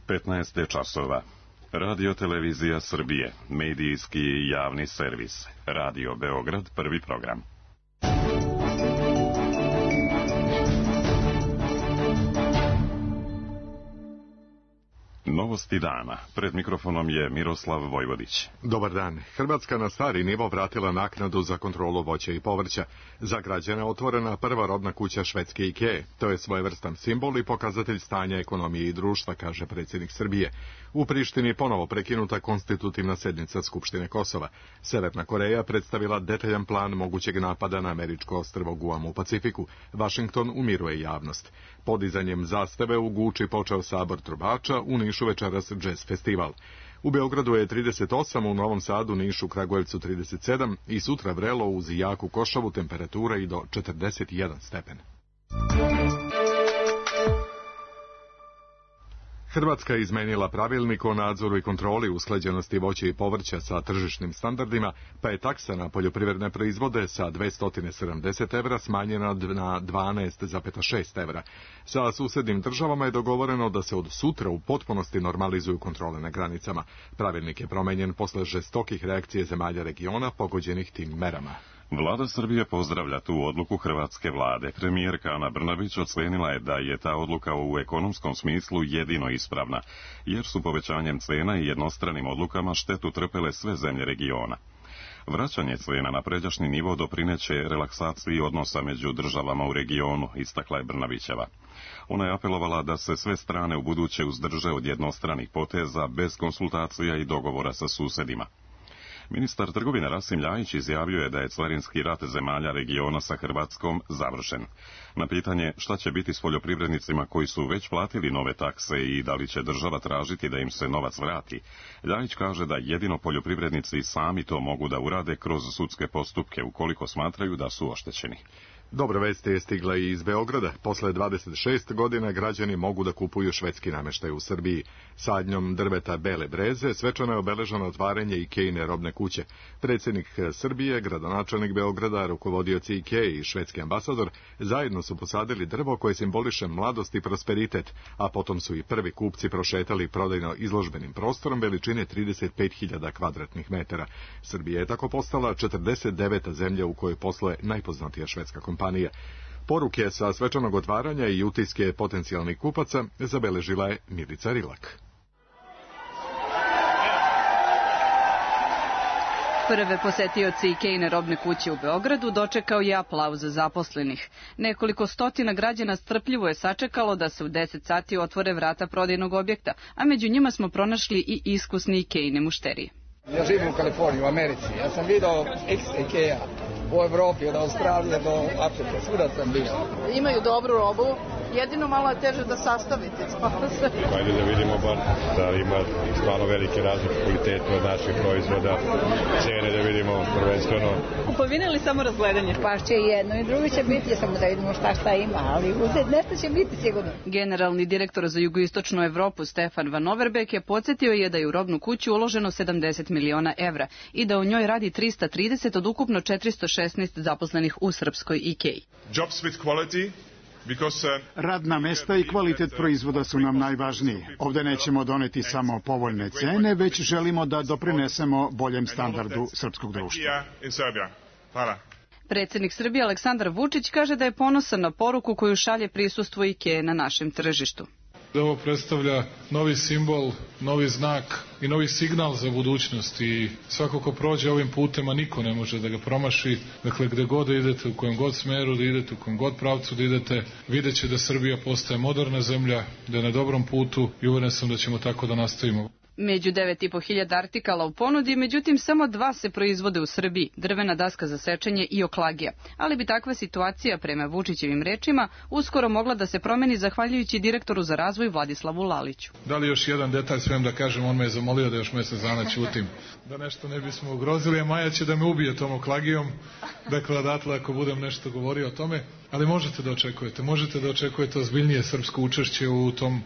15 je časova. Radio Televizija Srbije, medijski i javni servis. Radio Beograd, prvi program. Novosti dana. Pred mikrofonom je Miroslav Vojvodić. Dobar dan. Hrvatska na stari nivo vratila naknadu za kontrolu voća i povrća. Za građane otvorena prva robna kuća švedske IKEA. To je svojevrstan simbol i pokazatelj stanja ekonomije i društva, kaže predsjednik Srbije. U Prištini ponovo prekinuta konstitutivna sjednica Skupštine Kosova. Severna Koreja predstavila detaljan plan mogućeg napada na američko ostrvo Guam u Pacifiku. Vašington umiruje javnost. Podizanjem zastave u Guči počeo sabor trubača, u Nišu večeras jazz festival. U Beogradu je 38, u Novom Sadu, Nišu, Kragujevcu 37 i sutra vrelo uz jaku košavu, temperatura i do 41 stepen. Hrvatska je izmenila pravilnik o nadzoru i kontroli usklađenosti voća i povrća sa tržišnim standardima, pa je taksa na poljoprivredne proizvode sa 270 evra smanjena na 12,6 evra. Sa susednim državama je dogovoreno da se od sutra u potpunosti normalizuju kontrole na granicama. Pravilnik je promenjen posle žestokih reakcije zemalja regiona pogođenih tim merama. Vlada Srbije pozdravlja tu odluku hrvatske vlade. Premijerka Ana Brnabić ocenila je da je ta odluka u ekonomskom smislu jedino ispravna, jer su povećanjem cena i jednostranim odlukama štetu trpele sve zemlje regiona. Vraćanje cena na pređašnji nivo doprineće relaksaciji odnosa među državama u regionu, istakla je Brnabićeva. Ona je apelovala da se sve strane u buduće uzdrže od jednostranih poteza bez konsultacija i dogovora sa susedima. Ministar trgovine Rasim Ljajić izjavio je da je carinski rat zemalja regiona sa Hrvatskom završen. Na pitanje šta će biti s poljoprivrednicima koji su već platili nove takse i da li će država tražiti da im se novac vrati, Ljajić kaže da jedino poljoprivrednici sami to mogu da urade kroz sudske postupke ukoliko smatraju da su oštećeni. Dobra vest je stigla i iz Beograda. Posle 26 godina građani mogu da kupuju švedski nameštaj u Srbiji. Sadnjom drveta bele breze svečano je obeleženo otvaranje IKEA-ine robne kuće. Predsjednik Srbije, gradonačelnik Beograda, rukovodioci IKEA i švedski ambasador zajedno su posadili drvo koje simboliše mladost i prosperitet, a potom su i prvi kupci prošetali prodajno izložbenim prostorom veličine 35.000 kvadratnih metara. Srbija je tako postala 49. zemlja u kojoj posluje najpoznatija švedska kompanija. Poruke sa svečanog otvaranja i utiske potencijalnih kupaca zabeležila je Milica Rilak. Prve posetioci IKEA-ine robne kuće u Beogradu dočekao je aplauz zaposlenih. Nekoliko stotina građana strpljivo je sačekalo da se u 10 sati otvore vrata prodajnog objekta, a među njima smo pronašli i iskusni IKEA-ine mušterije. Ja živim u Kaliforniji, u Americi. Ja sam vidio ex-IKEA u Evropi, od Australije do Afrike, svuda sam bio. Imaju dobru robu, jedino malo je teže da sastavite. Ajde da vidimo bar da ima stvarno velike razlike kvalitete od naših proizvoda, cene da vidimo prvenstveno. Kupovina ili samo razgledanje? Pa će jedno i drugo će biti, samo da vidimo šta ima, ali nešto će biti sigurno. Generalni direktor za jugoistočnu Evropu Stefan Van Overbeek je podsjetio je da je u robnu kuću uloženo 70 miliona evra i da u njoj radi 330 od ukupno 416 zaposlenih u srpskoj IKEA. Radna mesta i kvalitet proizvoda su nam najvažniji. Ovdje nećemo doneti samo povoljne cene, već želimo da doprinesemo boljem standardu srpskog društva. Predsjednik Srbije Aleksandar Vučić kaže da je ponosan na poruku koju šalje prisustvo IKEA na našem tržištu. Ovo predstavlja novi simbol, novi znak i novi signal za budućnost i svako ko prođe ovim putem, a niko ne može da ga promaši, dakle gde god da idete, u kojem god smeru da idete, u kojem god pravcu da idete, vidjet će da Srbija postaje moderna zemlja, da je na dobrom putu i uveren sam da ćemo tako da nastavimo. Među 9.500 artikala u ponudi, međutim samo 2 se proizvode u Srbiji, drvena daska za sečenje i oklagija. Ali bi takva situacija, prema Vučićevim rečima, uskoro mogla da se promeni zahvaljujući direktoru za razvoj Vladislavu Laliću. Da li još jedan detalj smijem da kažem, on me je zamolio da još mjesec dana ćutim. Da nešto ne bismo ugrozili, a Maja će da me ubije tom oklagijom, dakle odatle ako budem nešto govorio o tome, ali možete da očekujete ozbiljnije srpsko učešće u tom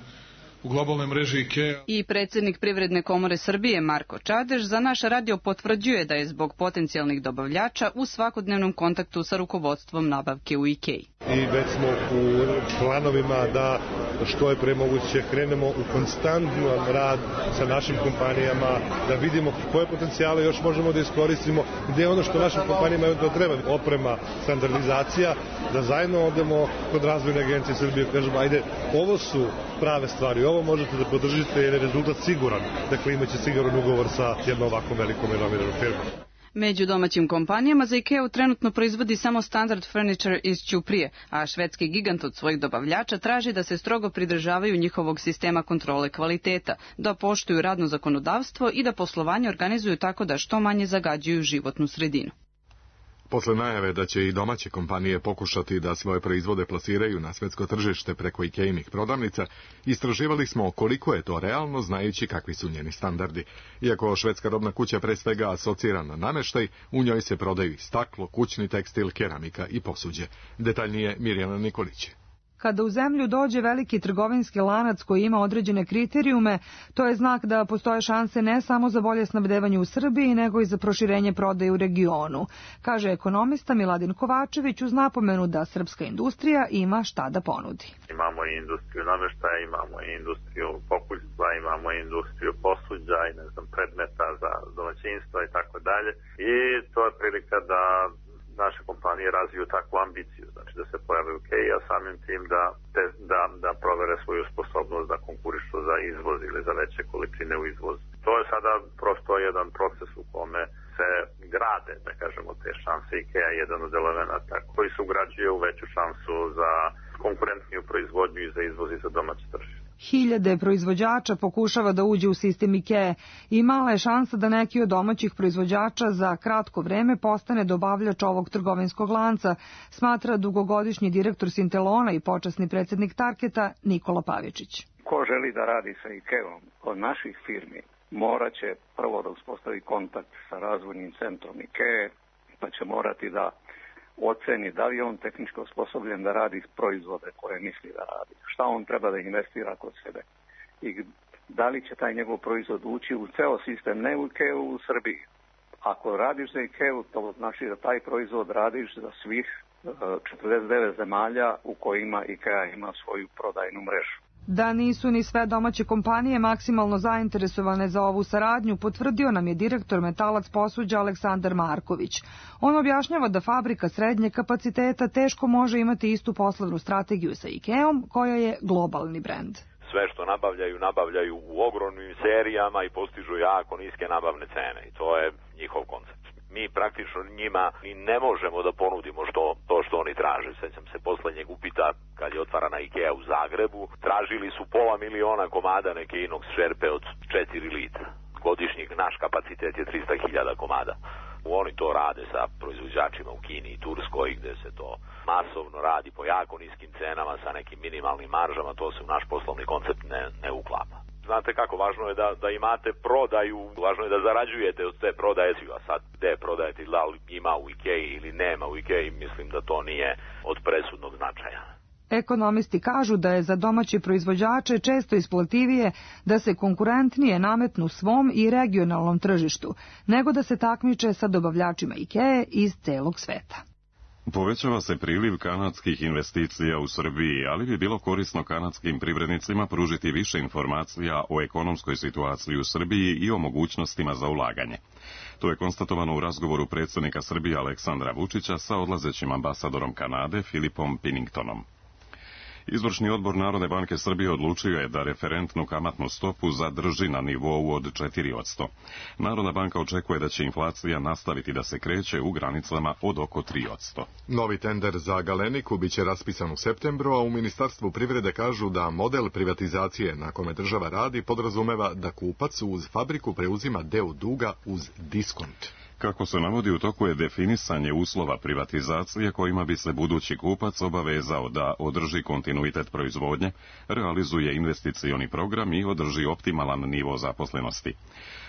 u globalnoj mreži IKEA. I predsjednik Privredne komore Srbije Marko Čadež za naš radio potvrđuje da je zbog potencijalnih dobavljača u svakodnevnom kontaktu sa rukovodstvom nabavke u IKEA. I već smo u planovima da što je pre moguće krenemo u konstantan rad sa našim kompanijama, da vidimo koje potencijale još možemo da iskoristimo, gde je ono što našim kompanijama to treba, oprema, standardizacija, da zajedno odemo kod Razvojne agencije Srbije, kažemo, ajde, ovo su prave stvari, ovo možete da podržite jer je rezultat siguran, dakle imaće siguran ugovor sa jednom ovakvom velikom renomiranom firmom. Među domaćim kompanijama za IKEA trenutno proizvodi samo Standard Furniture iz Ćuprije, a švedski gigant od svojih dobavljača traži da se strogo pridržavaju njihovog sistema kontrole kvaliteta, da poštuju radno zakonodavstvo i da poslovanje organizuju tako da što manje zagađuju životnu sredinu. Posle najave da će i domaće kompanije pokušati da svoje proizvode plasiraju na svetsko tržište preko IKEA-inih prodavnica, istraživali smo koliko je to realno znajući kakvi su njeni standardi. Iako švedska robna kuća pre svega asocira na nameštaj, u njoj se prodaju i staklo, kućni tekstil, keramika i posuđe. Detaljnije Mirjana Nikolić. Kada u zemlju dođe veliki trgovinski lanac koji ima određene kriterijume, to je znak da postoje šanse ne samo za bolje snabdevanje u Srbiji, nego i za proširenje prodaje u regionu, kaže ekonomista Miladin Kovačević uz napomenu da srpska industrija ima šta da ponudi. Imamo i industriju nameštaja, imamo i industriju pokućstva, imamo i industriju posuđa i predmeta za domaćinstva i tako dalje. I to je prilika da naše kompanije razviju takvu ambiciju, znači da se pojave u IKEA, a samim tim da provere svoju sposobnost da konkurišu za izvoz ili za veće količine u izvoz. To je sada prosto jedan proces u kome se grade, da kažemo, te šanse. IKEA je jedan od elemenata koji se ugrađuje u veću šansu za konkurentniju proizvodnju i za izvoz i za domaće tržište. Hiljade proizvođača pokušava da uđe u sistem IKEA i mala je šansa da neki od domaćih proizvođača za kratko vreme postane dobavljač ovog trgovinskog lanca, smatra dugogodišnji direktor Sintelona i počasni predsjednik Tarketa Nikola Pavičić. Ko želi da radi sa IKEA-om od naših firmi, morat će prvo da uspostavi kontakt sa razvojnim centrom IKEA, pa će morati da oceni da li je on tehnički osposobljen da radi proizvode koje misli da radi, šta on treba da investira kod sebe i da li će taj njegov proizvod ući u ceo sistem, ne u IKEA u Srbiji. Ako radiš za IKEA, to znači da taj proizvod radiš za svih 49 zemalja u kojima IKEA ima svoju prodajnu mrežu. Da nisu ni sve domaće kompanije maksimalno zainteresovane za ovu saradnju, potvrdio nam je direktor Metalac posuđa Aleksandar Marković. On objašnjava da fabrika srednje kapaciteta teško može imati istu poslovnu strategiju sa IKEA-om, koja je globalni brend. Sve što nabavljaju u ogromnim serijama i postižu jako niske nabavne cene i to je njihov koncept. Mi praktično njima i ne možemo da ponudimo što oni traže. Sećam se poslednjeg upita kad je otvarana IKEA u Zagrebu. Tražili su 500.000 komada neke inox šerpe od 4 litra. Godišnjeg naš kapacitet je 300.000 komada. Oni to rade sa proizvođačima u Kini i Turskoj gde se to masovno radi po jako niskim cenama sa nekim minimalnim maržama. To se u naš poslovni koncept ne uklapa. Znate kako, važno je da imate prodaju, važno je da zarađujete od te prodaje, a sad gde prodajete, da li ima u IKEA ili nema u IKEA, mislim da to nije od presudnog značaja. Ekonomisti kažu da je za domaće proizvođače često isplativije da se konkurentnije nametnu svom i regionalnom tržištu, nego da se takmiče sa dobavljačima IKEA iz celog sveta. Povećava se priliv kanadskih investicija u Srbiji, ali bi bilo korisno kanadskim privrednicima pružiti više informacija o ekonomskoj situaciji u Srbiji i o mogućnostima za ulaganje. To je konstatovano u razgovoru predsjednika Srbije Aleksandra Vučića sa odlazećim ambasadorom Kanade Filipom Pinningtonom. Izvršni odbor Narodne banke Srbije odlučio je da referentnu kamatnu stopu zadrži na nivou od 4%. Narodna banka očekuje da će inflacija nastaviti da se kreće u granicama od oko 3%. Novi tender za Galeniku biće raspisan u septembru, a u Ministarstvu privrede kažu da model privatizacije na kome država radi podrazumeva da kupac uz fabriku preuzima deo duga uz diskont. Kako se navodi, u toku je definisanje uslova privatizacije kojima bi se budući kupac obavezao da održi kontinuitet proizvodnje, realizuje investicioni program i održi optimalan nivo zaposlenosti.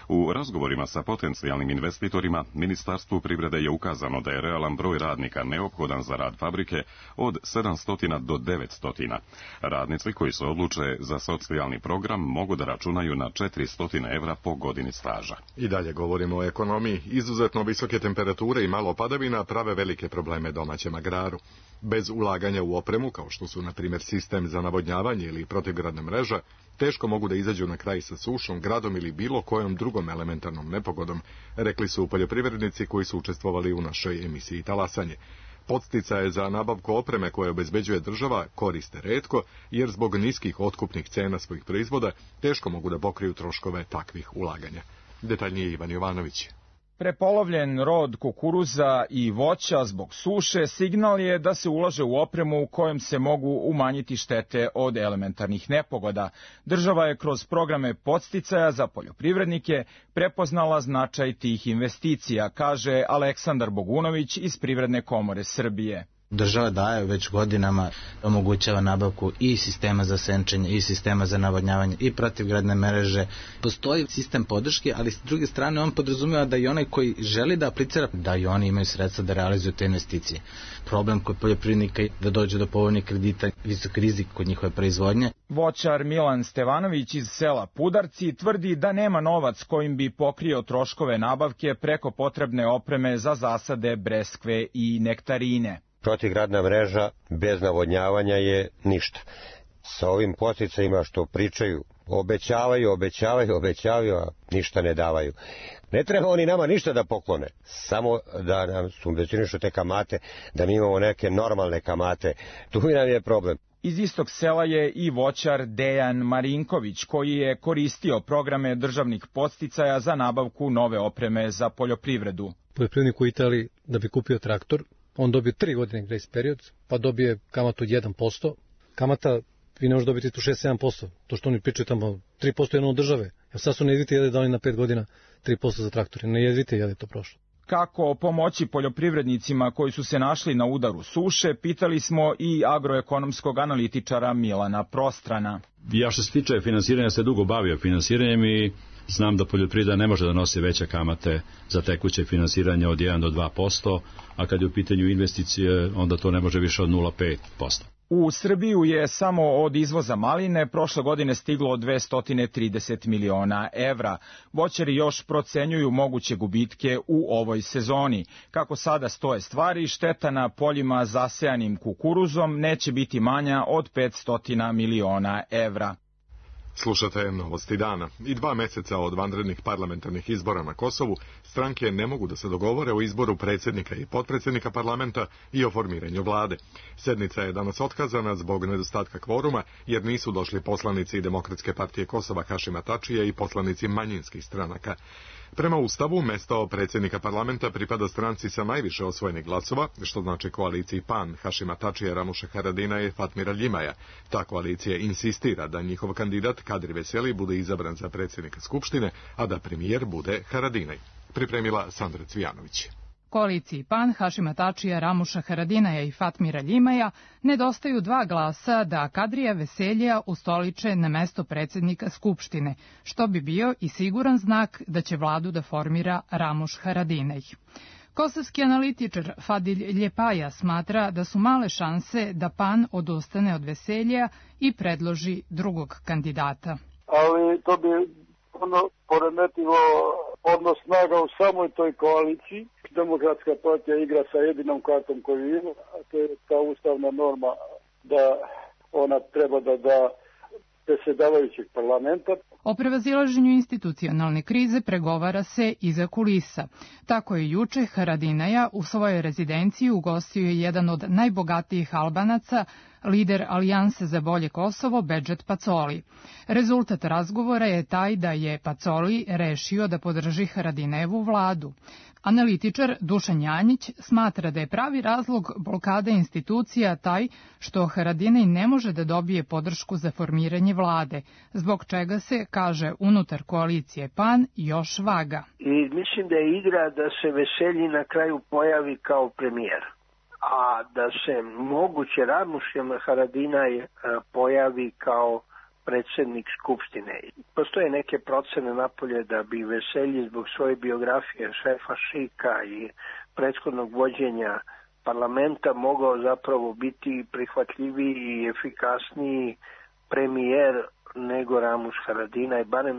U razgovorima sa potencijalnim investitorima, Ministarstvu privrede je ukazano da je realan broj radnika neophodan za rad fabrike od 700 do 900. Radnici koji se odluče za socijalni program mogu da računaju na 400 evra po godini staža. I dalje govorimo o ekonomiji. Izuzetno visoke temperature i malo padavina prave velike probleme domaćem agraru. Bez ulaganja u opremu, kao što su, na primjer, sistem za navodnjavanje ili protivgradna mreža, teško mogu da izađu na kraj sa sušom, gradom ili bilo kojom drugom elementarnom nepogodom, rekli su poljoprivrednici koji su učestvovali u našoj emisiji Talasanje. Podsticaje za nabavku opreme koje obezbeđuje država koriste retko, jer zbog niskih otkupnih cena svojih proizvoda teško mogu da pokriju troškove takvih ulaganja. Detaljnije Ivan Jovanović. Prepolovljen rod kukuruza i voća zbog suše signal je da se ulaže u opremu u kojem se mogu umanjiti štete od elementarnih nepogoda. Država je kroz programe podsticaja za poljoprivrednike prepoznala značaj tih investicija, kaže Aleksandar Bogunović iz Privredne komore Srbije. Država daje već godinama, omogućava nabavku i sistema za senčenje, i sistema za navodnjavanje, i protivgradne mreže. Postoji sistem podrške, ali s druge strane on podrazumijeva da i onaj koji želi da aplicira, da i oni imaju sredstva da realizuju te investicije. Problem kod poljoprivrednika je da dođe do povoljnih kredita, visok rizik kod njihove proizvodnje. Voćar Milan Stevanović iz sela Pudarci tvrdi da nema novac kojim bi pokrio troškove nabavke preko potrebne opreme za zasade breskve i nektarine. Protivgradna mreža bez navodnjavanja je ništa. Sa ovim podsticajima što pričaju, obećavaju, a ništa ne davaju. Ne treba oni nama ništa da poklone, samo da nam subvencionišu te kamate, da mi imamo neke normalne kamate. Tu nam je problem. Iz istog sela je i voćar Dejan Marinković, koji je koristio programe državnih podsticaja za nabavku nove opreme za poljoprivredu. Poljoprivrednik u Italiji da bi kupio traktor, on dobije 3 godine grace period, pa dobije kamatu od 1%. Kamata, vi ne možete dobiti tu 6-7%. To što oni pričaju tamo, 3% jedno od države. Evo sad su nejedvite jede dali na 5 godina 3% za traktore. Nejedvite jede to prošlo. Kako pomoći poljoprivrednicima koji su se našli na udaru suše, pitali smo i agroekonomskog analitičara Milana Prostrana. Ja što se tiče finansiranja se dugo bavio finansiranjem i znam da poljoprivreda ne može da nosi veće kamate za tekuće finansiranje od 1 do 2%, a kad je u pitanju investicije, onda to ne može više od 0,5%. U Srbiju je samo od izvoza maline prošle godine stiglo 230 miliona evra. Voćari još procenjuju moguće gubitke u ovoj sezoni. Kako sada stoje stvari, šteta na poljima zasejanim kukuruzom neće biti manja od 500 miliona evra. Slušate Novosti dana. I 2 meseca od vanrednih parlamentarnih izbora na Kosovu, stranke ne mogu da se dogovore o izboru predsjednika i potpredsjednika parlamenta i o formiranju vlade. Sednica je danas otkazana zbog nedostatka kvoruma, jer nisu došli poslanici Demokratske partije Kosova Hašima Tačija i poslanici manjinskih stranaka. Prema Ustavu, mesto predsjednika parlamenta pripada stranci sa najviše osvojenih glasova, što znači koaliciji PAN, Hašima Tačija, Ramuša Haradina i Fatmira Ljimaja. Ta koalicija insistira da njihov kandidat Kadri Veseli bude izabran za predsjednika Skupštine, a da premijer bude Haradinaj. Pripremila Sandra Cvijanović. Koaliciji PAN, Hašima Tačija, Ramuša Haradinaja i Fatmira Ljimaja nedostaju 2 glasa da Kadrija Veselija ustoliče na mesto predsjednika Skupštine, što bi bio i siguran znak da će vladu da formira Ramuš Haradinaj. Kosovski analitičar Fadil Ljepaja smatra da su male šanse da PAN odustane od Veselija i predloži drugog kandidata. Ali to bi poremetilo odnos snaga u samoj toj koaliciji. Demokratska partija igra sa jedinom kartom koju ima, a to je ta ustavna norma da ona treba da da predsjedavajućeg parlamenta. O prevazilaženju institucionalne krize pregovara se iza kulisa. Tako je juče Haradinaja u svojoj rezidenciji ugostio jedan od najbogatijih Albanaca, lider Alijanse za bolje Kosovo, Bedžet Pacoli. Rezultat razgovora je taj da je Pacoli rešio da podrži Haradinajevu vladu. Analitičar Dušan Janjić smatra da je pravi razlog blokade institucija taj što Haradinaj ne može da dobije podršku za formiranje vlade, zbog čega se, kaže unutar koalicije PAN, još vaga. I mislim da je igra da se Veselji na kraju pojavi kao premijer, a da se moguće Ramuš Haradinaj pojavi kao predsjednik Skupštine. Postoje neke procene napolje da bi Veselji zbog svoje biografije šefa Šika i prethodnog vođenja parlamenta mogao zapravo biti prihvatljiviji i efikasniji premijer nego Ramuš Haradinaj, barem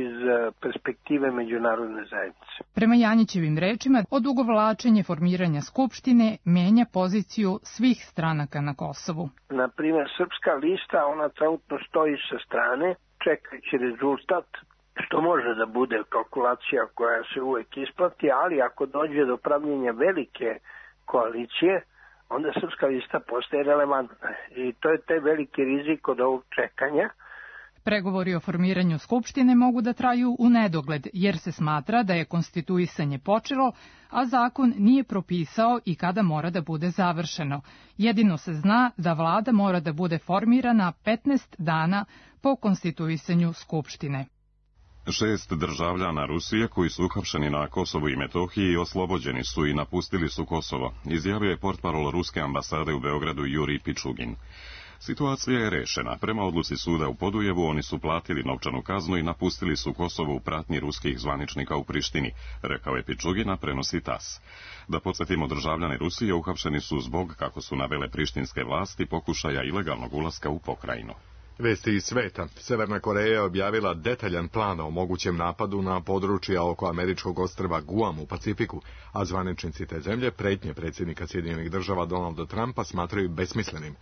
iz perspektive međunarodne zajednice. Prema Janjićevim rečima, odugovlačenje formiranja Skupštine menja poziciju svih stranaka na Kosovu. Na primjer, Srpska lista, ona trenutno stoji sa strane, čekajući rezultat, što može da bude kalkulacija koja se uvek isplati, ali ako dođe do pravljenja velike koalicije, onda Srpska lista postaje relevantna. I to je taj veliki rizik od ovog čekanja. Pregovori o formiranju Skupštine mogu da traju u nedogled, jer se smatra da je konstituisanje počelo, a zakon nije propisao i kada mora da bude završeno. Jedino se zna da vlada mora da bude formirana 15 dana po konstituisanju Skupštine. 6 državljana Rusije koji su uhapšeni na Kosovu i Metohiji oslobođeni su i napustili su Kosovo, izjavio je portparol Ruske ambasade u Beogradu Jurij Pičugin. Situacija je rešena. Prema odluci suda u Podujevu oni su platili novčanu kaznu i napustili su Kosovo u pratnji ruskih zvaničnika u Prištini, rekao je Pičugina, prenosi TAS. Da podsjetimo, državljani Rusije uhapšeni su zbog, kako su navele prištinske vlasti, pokušaja ilegalnog ulaska u pokrajinu. Vesti iz sveta. Severna Koreja je objavila detaljan plan o mogućem napadu na područja oko američkog ostrva Guam u Pacifiku, a zvaničnici te zemlje pretnje predsjednika Sjedinjenih Država Donalda Trumpa smatraju besmislenim.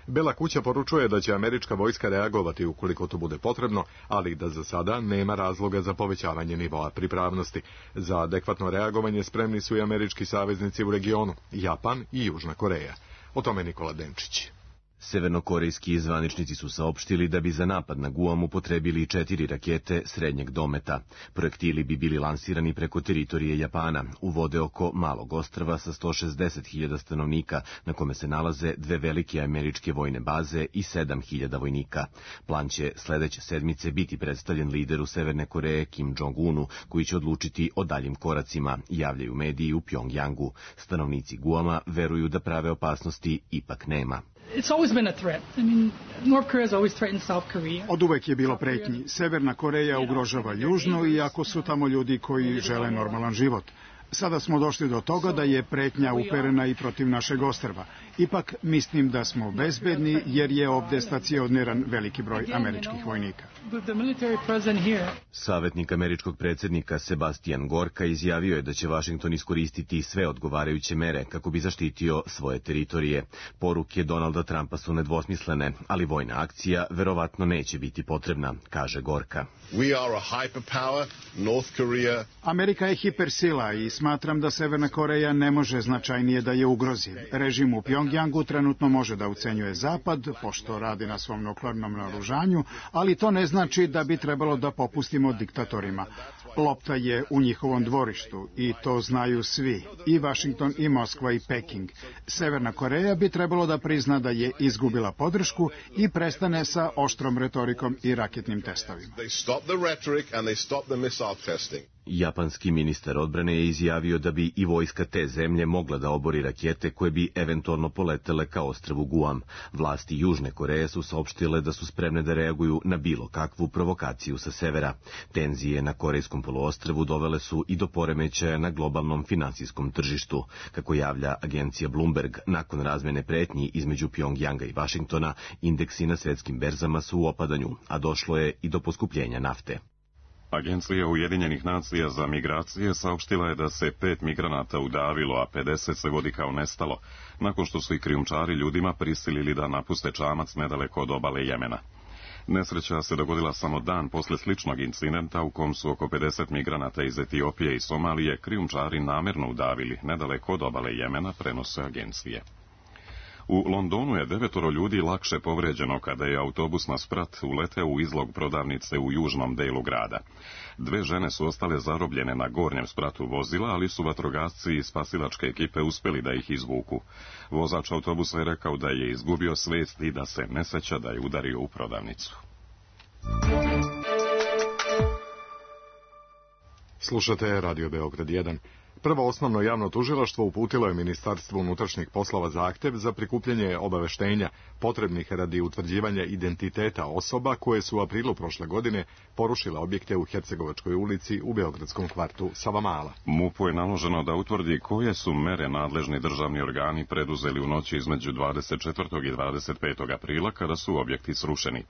Bela kuća poručuje da će američka vojska reagovati ukoliko to bude potrebno, ali da za sada nema razloga za povećavanje nivoa pripravnosti. Za adekvatno reagovanje spremni su i američki saveznici u regionu, Japan i Južna Koreja. O tome Nikola Denčić. Severnokorejski zvaničnici su saopštili da bi za napad na Guam upotrebili 4 rakete srednjeg dometa. Projektili bi bili lansirani preko teritorije Japana, u vode oko malog ostrva sa 160.000 stanovnika, na kome se nalaze 2 velike američke vojne baze i 7.000 vojnika. Plan će sledeće sedmice biti predstavljen lideru Severne Koreje Kim Jong-unu, koji će odlučiti o daljim koracima, javljaju mediji u Pjongjangu. Stanovnici Guama veruju da prave opasnosti ipak nema. It's always been a threat. I mean, North Korea has always threatened South Korea. Od uvek je bilo pretnji. Severna Koreja ugrožava Južnu, iako su tamo ljudi koji žele normalan život. Sada smo došli do toga da je pretnja uperena i protiv našeg ostrva. Ipak mislim da smo bezbedni jer je ovde stacioniran veliki broj američkih vojnika. Savetnik američkog predsjednika Sebastian Gorka izjavio je da će Vašington iskoristiti sve odgovarajuće mere kako bi zaštitio svoje teritorije. Poruke Donalda Trumpa su nedvosmislene, ali vojna akcija verovatno neće biti potrebna, kaže Gorka. Amerika je hipersila i smatram da Severna Koreja ne može značajnije da je ugrozi. Režim u Pjongjangu trenutno može da ucenjuje Zapad, pošto radi na svom nuklearnom naoružanju, ali to ne znači da bi trebalo da popustimo diktatorima. Lopta je u njihovom dvorištu i to znaju svi, i Vašington i Moskva i Peking. Severna Koreja bi trebalo da prizna da je izgubila podršku i prestane sa oštrom retorikom i raketnim testovima. Japanski ministar odbrane je izjavio da bi i vojska te zemlje mogla da obori rakete koje bi eventualno poletele ka ostrvu Guam. Vlasti Južne Koreje su saopštile da su spremne da reaguju na bilo kakvu provokaciju sa severa. Tenzije na Korejskom poluostrvu dovele su i do poremećaja na globalnom finansijskom tržištu. Kako javlja agencija Bloomberg, nakon razmene pretnji između Pjongjanga i Vašingtona, indeksi na svetskim berzama su u opadanju, a došlo je i do poskupljenja nafte. Agencija Ujedinjenih nacija za migracije saopštila je da se 5 migranata udavilo, a 50 se vodi kao nestalo, nakon što su i krijumčari ljudima prisilili da napuste čamac nedaleko od obale Jemena. Nesreća se dogodila samo dan posle sličnog incidenta u kom su oko 50 migranata iz Etiopije i Somalije krijumčari namerno udavili nedaleko od obale Jemena, prenose agencije. U Londonu je 9 ljudi lakše povređeno kada je autobus na sprat uleteo u izlog prodavnice u južnom delu grada. 2 žene su ostale zarobljene na gornjem spratu vozila, ali su vatrogasci i spasilačke ekipe uspeli da ih izvuku. Vozač autobusa je rekao da je izgubio svest i da se ne seća da je udario u prodavnicu. Slušate Radio Beograd 1. Prvo osnovno javno tužilaštvo uputilo je Ministarstvu unutrašnjih poslova zahtev za prikupljanje obaveštenja potrebnih radi utvrđivanja identiteta osoba koje su u aprilu prošle godine porušile objekte u Hercegovačkoj ulici u beogradskom kvartu Savamala. MUP-u je naloženo da utvrdi koje su mere nadležni državni organi preduzeli u noći između 24. i 25. aprila kada su objekti srušeni.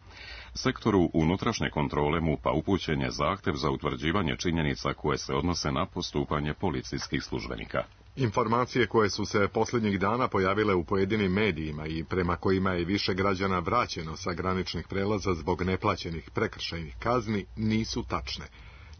Sektoru unutrašnje kontrole MUP-a upućen je zahtev za utvrđivanje činjenica koje se odnose na postupanje policijskih službenika. Informacije koje su se posljednjih dana pojavile u pojedinim medijima i prema kojima je više građana vraćeno sa graničnih prelaza zbog neplaćenih prekršajnih kazni nisu tačne.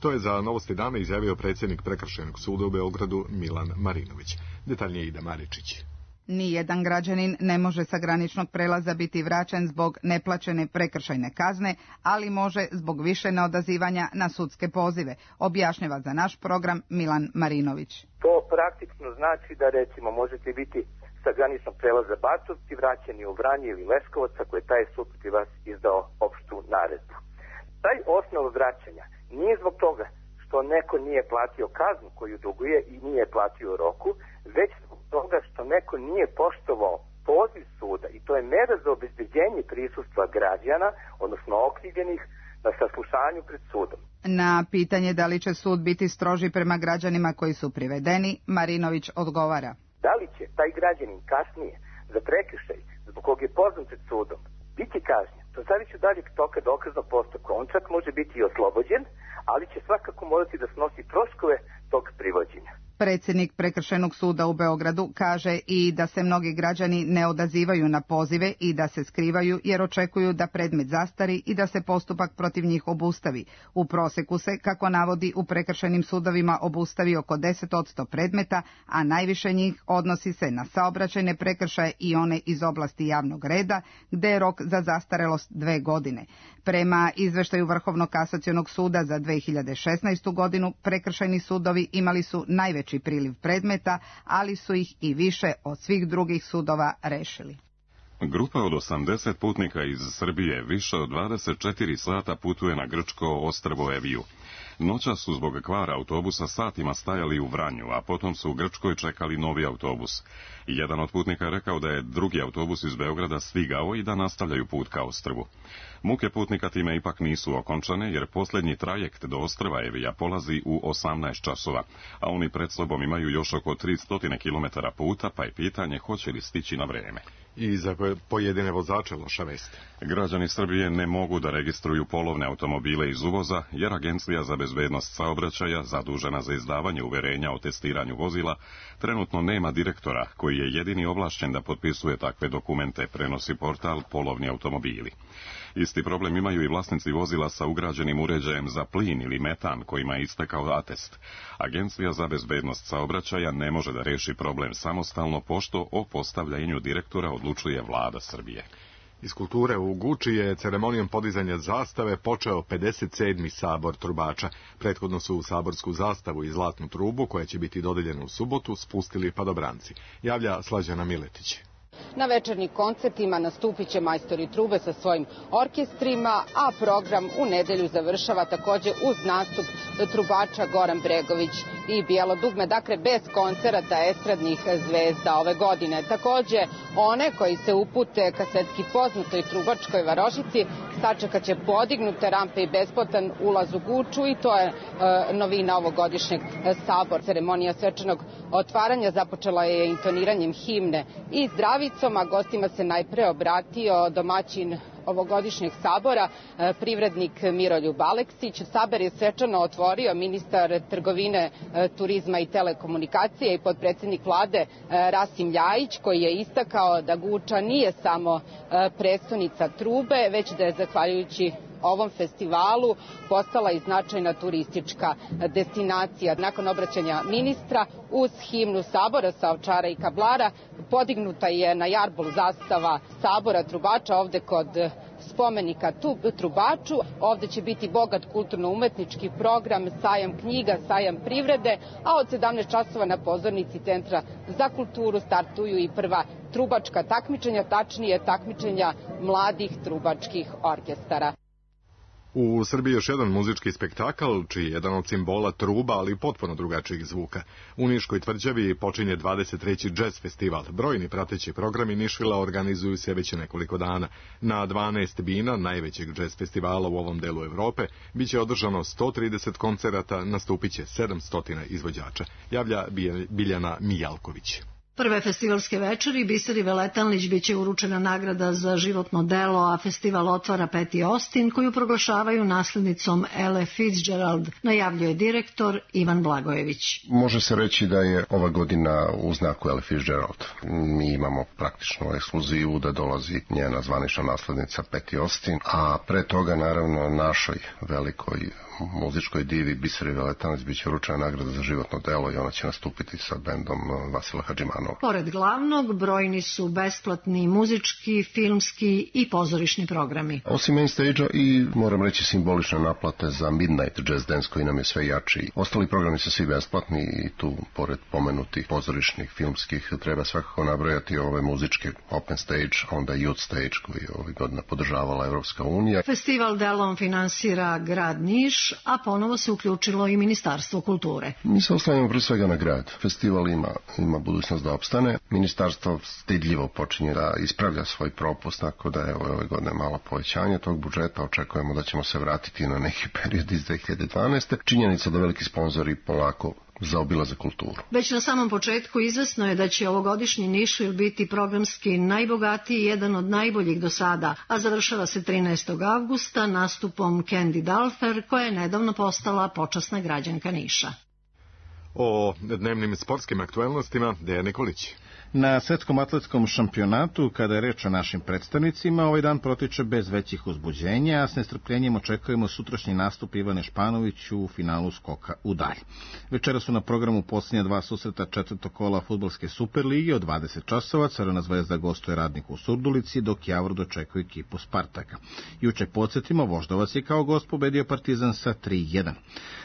To je za Novosti dana izjavio predsjednik Prekršajnog suda u Beogradu Milan Marinović. Detaljnije Ida Maričić. Nijedan građanin ne može sa graničnog prelaza biti vraćen zbog neplaćene prekršajne kazne, ali može zbog više neodazivanja na sudske pozive, objašnjava za naš program Milan Marinović. To praktično znači da recimo možete biti sa graničnog prelaza Batovci vraćeni u Vranje ili Leskovac ako je taj sud protiv vas izdao opštu naredbu. Taj osnov vraćanja nije zbog toga što neko nije platio kaznu koju duguje i nije platio u roku, već zbog toga što neko nije poštovao poziv suda i to je mera za obezbeđenje prisustva građana, odnosno okrivljenih, na saslušanju pred sudom. Na pitanje da li će sud biti stroži prema građanima koji su privedeni, Marinović odgovara. Da li će taj građanin kasnije za prekršaj zbog kog je pozvan pred sudom biti kažnjen, to zavisi od daljeg toka dokaznog postupka. On čak može biti i oslobođen, ali će svakako morati da snosi troškove tog privođenja. Predsjednik Prekršajnog suda u Beogradu kaže i da se mnogi građani ne odazivaju na pozive i da se skrivaju jer očekuju da predmet zastari i da se postupak protiv njih obustavi. U proseku se, kako navodi, u prekršajnim sudovima obustavi oko 10% predmeta, a najviše njih odnosi se na saobraćajne prekršaje i one iz oblasti javnog reda, gde je rok za zastarelost 2 godine. Prema izveštaju Vrhovnog kasacionog suda za 2016. godinu, prekršajni sudovi imali su najveći priliv predmeta, ali su ih i više od svih drugih sudova rešili. Grupa od 80 putnika iz Srbije više od 24 sata putuje na grčko ostrvo Eviju. Noćas su zbog kvara autobusa satima stajali u Vranju, a potom su u Grčkoj čekali novi autobus. Jedan od putnika je rekao da je drugi autobus iz Beograda stigao i da nastavljaju put ka ostrvu. Muke putnika time ipak nisu okončane, jer posljednji trajekt do ostrva Evija polazi u 18 časova, a oni pred sobom imaju još oko 300 km puta, pa je pitanje hoće li stići na vreme. I za pojedine vozače loša vest. Građani Srbije ne mogu da registruju polovne automobile iz uvoza, jer Agencija za bezbednost saobraćaja, zadužena za izdavanje uverenja o testiranju vozila, trenutno nema direktora koji je jedini ovlašćen da potpisuje takve dokumente, prenosi portal Polovni automobili. Isti problem imaju i vlasnici vozila sa ugrađenim uređajem za plin ili metan kojima je istekao atest. Agencija za bezbednost saobraćaja ne može da reši problem samostalno, pošto o postavljanju direktora odlučuje vlada Srbije. Iz kulture u Guči je ceremonijom podizanja zastave počeo 57. sabor trubača. Prethodno su u saborsku zastavu i zlatnu trubu, koja će biti dodeljena u subotu, spustili padobranci. Javlja Slađana Miletić. Na večernjim koncertima nastupit će majstori trube sa svojim orkestrima, a program u nedelju završava također uz nastup trubača Goran Bregović i Bijelo dugme, dakle bez koncerata estradnih zvezda ove godine. Također one koji se upute ka svetski poznatoj trubačkoj varošici sačekat će podignute rampe i besplatan ulaz u Guču i to je novina ovogodišnjeg sabora. Ceremonija svečanog otvaranja započela je intoniranjem himne i zdravicom, a gostima se najpre obratio domaćin ovogodišnjeg sabora, privrednik Miroljub Aleksić. Saber je svečano otvorio ministar trgovine, turizma i telekomunikacije i potpredsjednik vlade Rasim Ljajić, koji je istakao da Guča nije samo prestonica trube, već da je zahvaljujući ovom festivalu postala i značajna turistička destinacija. Nakon obraćanja ministra uz himnu sabora sa Ovčara i Kablara podignuta je na jarbol zastava sabora trubača ovde kod spomenika trubaču. Ovde će biti bogat kulturno-umetnički program, sajam knjiga, sajam privrede, a od 17 časova na pozornici Centra za kulturu startuju i prva trubačka takmičenja, tačnije takmičenja mladih trubačkih orkestara. U Srbiji još jedan muzički spektakl, čiji je jedan od simbola truba, ali potpuno drugačijih zvuka. U Niškoj tvrđavi počinje 23. džez festival. Brojni prateći programi Nišvila organizuju se već nekoliko dana. Na 12 bina najvećeg džez festivala u ovom delu Evrope biće održano 130 koncerata, nastupit će 700 izvođača. Javlja Biljana Mijalković. Prve festivalske večeri Biseri Veletanlić biće uručena nagrada za životno delo, a festival otvara Patti Austin, koju proglašavaju naslednicom Ella Fitzgerald, najavljuje direktor Ivan Blagojević. Može se reći da je ova godina u znaku Ella Fitzgerald. Mi imamo praktično ekskluzivu da dolazi njena zvanična naslednica Patti Austin, a pre toga naravno našoj velikoj muzičkoj divi Biseri Veletanlić biće uručena nagrada za životno delo i ona će nastupiti sa bendom Vasila Hadžimanova. Pored glavnog, brojni su besplatni muzički, filmski i pozorišni programi. Osim main stage-a i, moram reći, simbolične naplate za Midnight Jazz Dance koji nam je sve jači. Ostali programi su svi besplatni i tu, pored pomenutih pozorišnih, filmskih, treba svakako nabrojati ove muzičke open stage, onda youth stage koji je ovih godina podržavala Evropska unija. Festival delom finansira grad Niš, a ponovo se uključilo i Ministarstvo kulture. Mi se oslanjamo pre svega na grad. Festival ima budućnost da opstane. Ministarstvo stidljivo počinje da ispravlja svoj propust, tako da je ove godine malo povećanje tog budžeta. Očekujemo da ćemo se vratiti na neki period iz 2012. Činjenica da veliki sponzori polako zaobilaze kulturu. Već na samom početku izvesno je da će ovogodišnji Nišvil biti programski najbogatiji i jedan od najboljih do sada, a završava se 13. avgusta nastupom Candy Dalfer, koja je nedavno postala počasna građanka Niša. O dnevnim sportskim aktuelnostima Dejan Nikolić. Na svetskom atletskom šampionatu, kada je reč o našim predstavnicima, ovaj dan protiče bez većih uzbuđenja, a s nestrpljenjem očekujemo sutrašnji nastup Ivane Španović u finalu skoka u dalj. Večera su na programu posljednja dva susreta četvrtog kola fudbalske Superlige od 20 časova. Crvena zvezda gostuje Radniku u Surdulici, dok Javor dočekuje ekipu Spartaka. Juče podsjetimo, Voždovac je kao gost pobedio Partizan sa 3-1.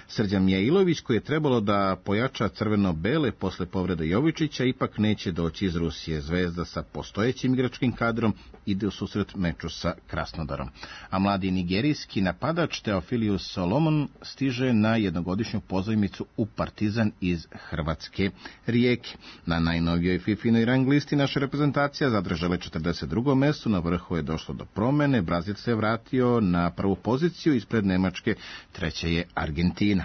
Srđan Mijailović, koji je trebalo da pojača crveno-bele posle povrede Jovičića, ipak neće doći iz Rusije. Zvezda sa postojećim igračkim kadrom ide u susret meču sa Krasnodarom. A mladi nigerijski napadač Teofilius Solomon stiže na jednogodišnju pozajmicu u Partizan iz Hrvatske Rijeke. Na najnovijoj FIFA-inoj rang listi naša reprezentacija zadržala 42. mesto, na vrhu je došlo do promene, Brazil se vratio na prvu poziciju, ispred Nemačke treća je Argentina.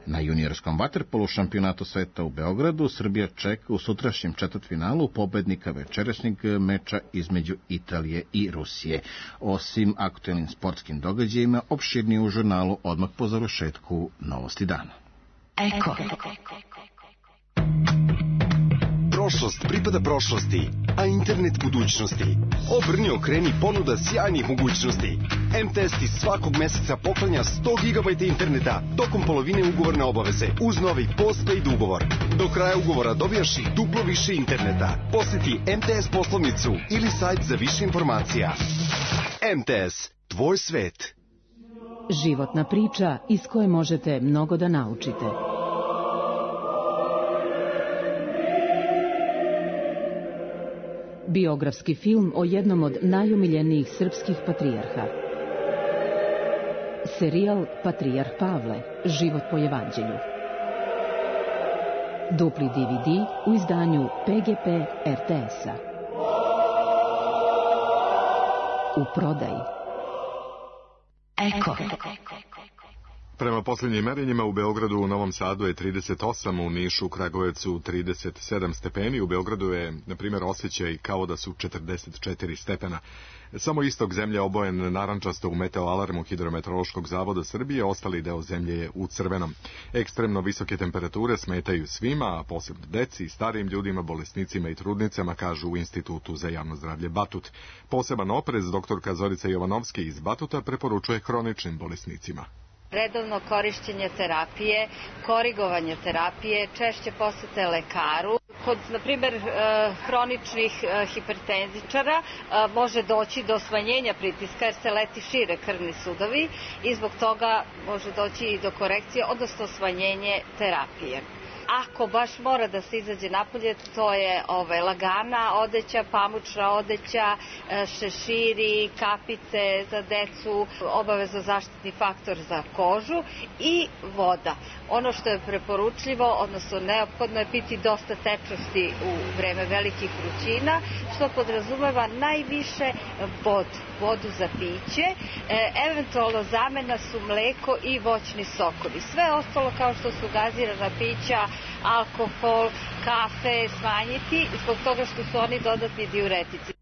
Na juniorskom vaterpolu šampionatu sveta u Beogradu Srbija čeka u sutrašnjem četvrtfinalu pobednika večerašnjeg meča između Italije i Rusije. Osim aktuelnim sportskim događajima, opširnije u žurnalu odmah po završetku Novosti dana. Eko. Prošlost pripada prošlosti, a internet budućnosti. Obrni, okreni, ponuda sjajnih mogućnosti. MTS ti svakog meseca poklanja 100 GB interneta tokom polovine ugovorne obaveze uz novi postpaid ugovor. Do kraja ugovora dobijaš i duplo više interneta. Posjeti MTS poslovnicu ili sajt za više informacija. MTS, tvoj svet. Životna priča iz koje možete mnogo da naučite. Biografski film o jednom od najomiljenijih srpskih patrijarha. Serijal Patrijarh Pavle, život po evanđelju. Dupli DVD u izdanju PGP RTS-a. U prodaji. Eko. Prema posljednjim merenjima u Beogradu, u Novom Sadu je 38, u Nišu, Kragujevcu 37 stepeni, u Beogradu je, na primjer, osjećaj kao da su 44 stepena. Samo istok zemlje obojen narančasto u meteoalarmu Hidrometeorološkog zavoda Srbije, ostali deo zemlje je u crvenom. Ekstremno visoke temperature smetaju svima, a posebno deci, starijim ljudima, bolesnicima i trudnicama, kažu u Institutu za javno zdravlje Batut. Poseban oprez doktorka Zorica Jovanovski iz Batuta preporučuje hroničnim bolesnicima. Redovno korišćenje terapije, korigovanje terapije, češće posete lekaru. Kod, na primjer, hroničnih hipertenzičara može doći do smanjenja pritiska jer se leti šire krvni sudovi i zbog toga može doći i do korekcije, odnosno smanjenje terapije. Ako baš mora da se izađe napolje, to je lagana odeća, pamučna odeća, šeširi, kapice za decu, obavezno zaštitni faktor za kožu i voda. Ono što je preporučljivo, odnosno neophodno je piti dosta tečnosti u vreme velikih vrućina, što podrazumeva najviše vodu za piće, eventualno zamena su mleko i voćni sokovi. Sve ostalo kao što su gazirana pića, alkohol, kafe smanjiti zbog toga što su oni dodatni diuretici.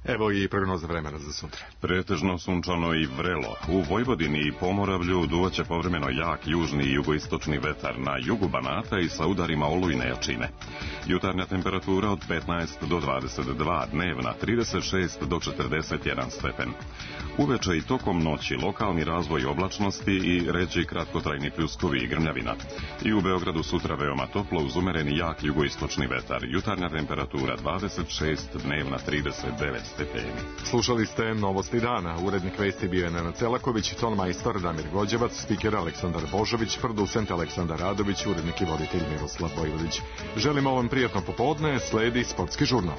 Evo i prognoza vremena za sutra. Pretežno sunčano i vrelo. U Vojvodini i Pomoravlju duvaće povremeno jak južni i jugoistočni vetar na jugu Banata i sa udarima olujne jačine. Jutarnja temperatura od 15 do 22, dnevna 36 do 41 stepen. Uveče i tokom noći lokalni razvoj oblačnosti i ređi kratkotrajni pljuskovi i grmljavina. I u Beogradu sutra veoma toplo uz umereni jak jugoistočni vetar. Jutarnja temperatura 26, dnevna 39 stepeni. Slušali ste Novosti dana. Urednik vesti bio je Nenad Celaković, tonmajstor Damir Gođevac, spiker Aleksandar Božović, producent Aleksandar Radović, urednik i voditelj Miroslav Vojvodić. Želimo vam prijatno popodne, sledi sportski žurnal.